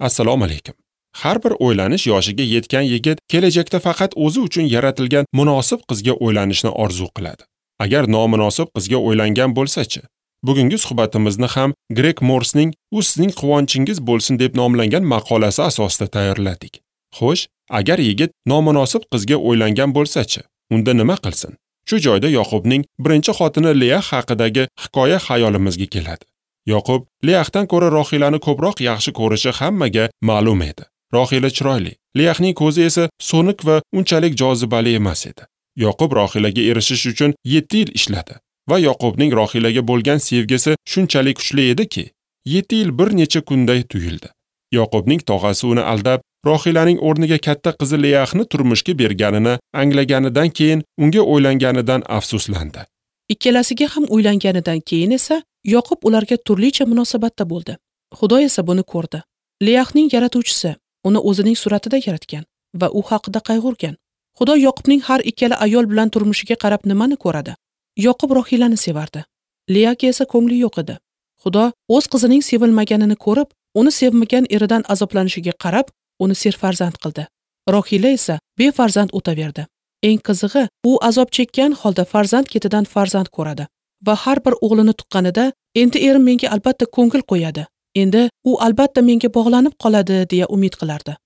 Assalomu alaykum. Har bir o'ylanish yoshiga yetgan yigit kelajakda faqat o'zi uchun yaratilgan munosib qizga o'ylanishni orzu qiladi. Agar nomunosib qizga o'ylangan bo'lsa-chi? Bugungi suhbatimizni ham Greg Morsning "U sizning quvonchingiz bo'lsin" deb nomlangan maqolasi asosida tayyorladik. Xo'sh, agar yigit nomunosib qizga o'ylangan bo'lsa-chi, unda nima qilsin? Shu joyda Yoqubning birinchi xotini Leah haqidagi hikoya xayolimizga keladi. Yoqub Leahdan ko'ra Rohilani ko'proq yaxshi ko'rishi hammaga ma'lum edi. Rohila chiroyli, Leahning ko'zi esa so'nik va unchalik jozibali emas edi. Yoqub Rohilaga erishish uchun 7 yil ishladi va Yoqubning Rohilaga bo'lgan sevgisi shunchalik kuchli ediki, 7 yil bir necha kunday tuyuldi. Yoqubning tog'asi uni aldab, Rohilaning o'rniga katta qizi Leahni turmushga berganini anglaganidan keyin unga o'ylanganidan afsuslandi. Ikkalasiga ham uylanganidan keyin esa Yoqub ularga turlicha munosabatda bo'ldi. Xudo esa buni ko'rdi. Leahning yaratuvchisi uni o'zining suratida yaratgan va u haqida qayg'urgan. Xudo Yoqubning har ikkala ayol bilan turmushiga qarab nimani ko'radi? Yoqub Rohilani sevardi. Leahga esa ko'ngli yo'q edi. Xudo o'z qizining sevilmaganini ko'rib, uni sevmagan eridan azoblanishiga qarab, uni serfarzand qildi. Rohila esa befarzand o'taverdi. Eng qizig'i, u azob chekkan holda farzand ketidan farzand ko'radi va har bir o'g'lini tuqqanida endi erim menga albatta ko'ngil qo'yadi, endi u albatta menga bog'lanib qoladi deya umid qilardi.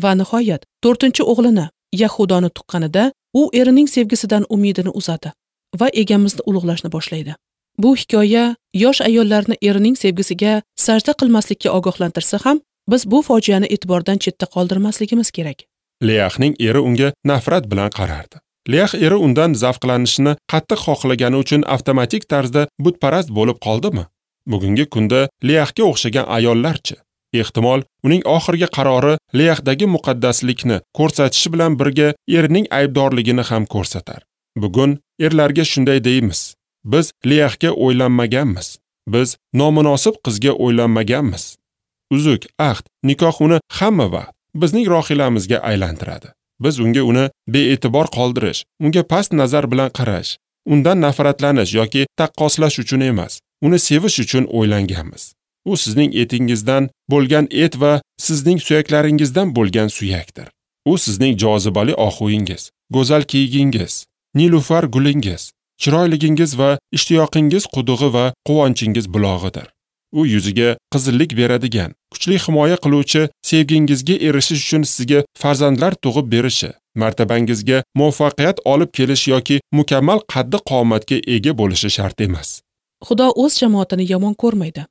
Va nihoyat 4-o'g'lini Yahudoni tuqqanida u erining sevgisidan umidini uzadi va egamizni ulug'lashni boshlaydi. Bu hikoya yosh ayollarni erining sevgisiga sajda qilmaslikka ogohlantirsa ham, biz bu fojiani e'tibordan chetda qoldirmasligimiz kerak. Leahning eri unga nafrat bilan qarardi. Leah eri undan zavqlanishini qattiq xohlagani uchun avtomatik tarzda butparast bo'lib qoldimi? Bugungi kunda Leahga o'xshagan ayollarchi? Ehtimol, uning oxirgi qarori Leahdagi muqaddaslikni ko'rsatishi bilan birga erining aybdorligini ham ko'rsatar. Bugun erlarga shunday deymiz: biz Leahga o'ylanmaganmiz. Biz nomunosib qizga o'ylanmaganmiz. Uzuk, ahd, nikoh uni hamma vaqt bizning rohilamizga aylantiradi. Biz unga uni bee'tibor qoldirish, unga past nazar bilan qarash, undan nafratlanish yoki taqqoslash uchun emas, uni sevish uchun o'ylanganmiz. U sizning etingizdan bo'lgan et va sizning suyaklaringizdan bo'lgan suyakdir. U sizning jozibali ohuingiz, go'zal kiyigingiz, nilufar gulingiz, chiroyligingiz va ishtiyoqingiz qudug'i va quvonchingiz bulog'idir. U yuziga qizillik beradigan, kuchli himoya qiluvchi sevgingizga erishish uchun sizga farzandlar tug'ib berishi, martabangizga muvaffaqiyat olib kelish yoki mukammal qaddi qomatga ega bo'lishi shart emas. Xudo o'z jamoatini yomon ko'rmaydi.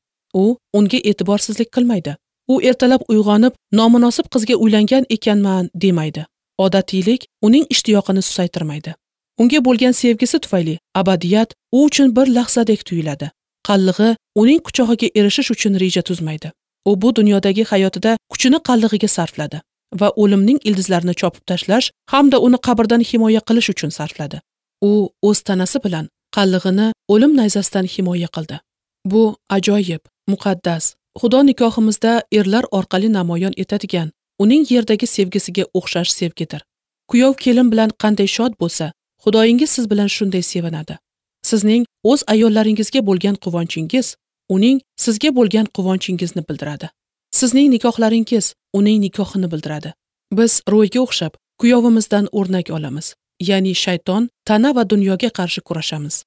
U unga e'tiborsizlik qilmaydi. U ertalab uyg'onib, nomunosib qizga uylangan ekanman demaydi. Odatiylik uning ishtiyoqini susaytirmaydi. Unga bo'lgan sevgisi tufayli abadiyat u uchun bir lahzadek tuyuladi. Qallig'i uning quchog'iga erishish uchun reja tuzmaydi. U bu dunyodagi hayotida kuchini qallig'iga sarfladi va o'limning ildizlarini chopib tashlash hamda uni qabrdan himoya qilish uchun sarfladi. U o'z tanasi bilan qallig'ini o'lim nayzasidan himoya qildi. Bu ajoyib, muqaddas, Xudo nikohimizda erlar orqali namoyon etadigan, uning yerdagi sevgisiga o'xshash sevgidir. Kuyov kelin bilan qanday shod bo'lsa, Xudoyingiz siz bilan shunday sevinadi. Sizning o'z ayollaringizga bo'lgan quvonchingiz, uning sizga bo'lgan quvonchingizni bildiradi. Sizning nikohlaringiz uning nikohini bildiradi. Biz Royga o'xshab kuyovimizdan o'rnak olamiz. Ya'ni shayton, tana va dunyoga qarshi kurashamiz.